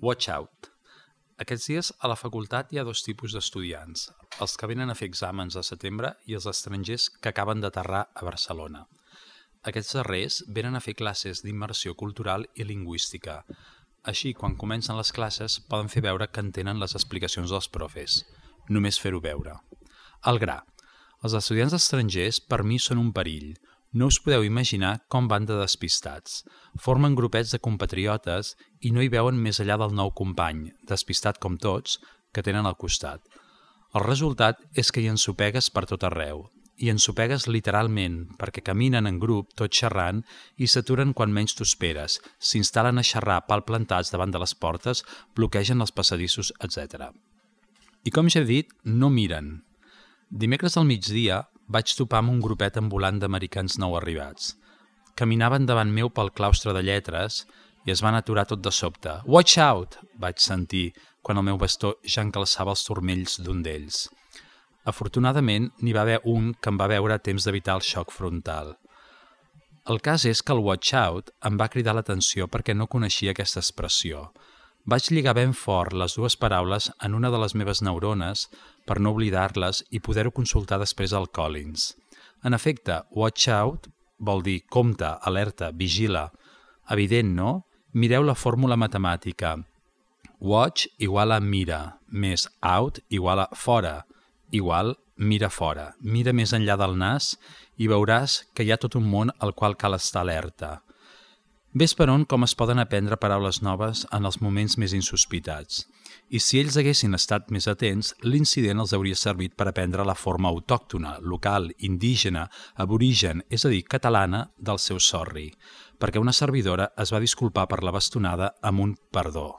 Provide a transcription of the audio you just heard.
Watch out! Aquests dies a la facultat hi ha dos tipus d'estudiants, els que venen a fer exàmens a setembre i els estrangers que acaben d'aterrar a Barcelona. Aquests darrers venen a fer classes d'immersió cultural i lingüística. Així, quan comencen les classes, poden fer veure que entenen les explicacions dels profes. Només fer-ho veure. Al gra. Els estudiants estrangers, per mi, són un perill. No us podeu imaginar com van de despistats. Formen grupets de compatriotes i no hi veuen més enllà del nou company, despistat com tots, que tenen al costat. El resultat és que hi ensopegues per tot arreu. I ensopegues literalment, perquè caminen en grup, tot xerrant, i s'aturen quan menys t'ho esperes, s'instal·len a xerrar palplantats davant de les portes, bloquegen els passadissos, etc. I com ja he dit, no miren. Dimecres al migdia vaig topar amb un grupet ambulant d'americans nou arribats. Caminaven davant meu pel claustre de lletres i es van aturar tot de sobte. «Watch out!» vaig sentir quan el meu bastó ja encalçava els turmells d'un d'ells. Afortunadament, n'hi va haver un que em va veure a temps d'evitar el xoc frontal. El cas és que el «watch out» em va cridar l'atenció perquè no coneixia aquesta expressió. Vaig lligar ben fort les dues paraules en una de les meves neurones per no oblidar-les i poder-ho consultar després al Collins. En efecte, watch out vol dir compte, alerta, vigila. Evident, no? Mireu la fórmula matemàtica. Watch igual a mira, més out igual a fora, igual mira fora. Mira més enllà del nas i veuràs que hi ha tot un món al qual cal estar alerta. Ves per on com es poden aprendre paraules noves en els moments més insospitats. I si ells haguessin estat més atents, l'incident els hauria servit per aprendre la forma autòctona, local, indígena, aborigen, és a dir, catalana, del seu sorri, perquè una servidora es va disculpar per la bastonada amb un perdó.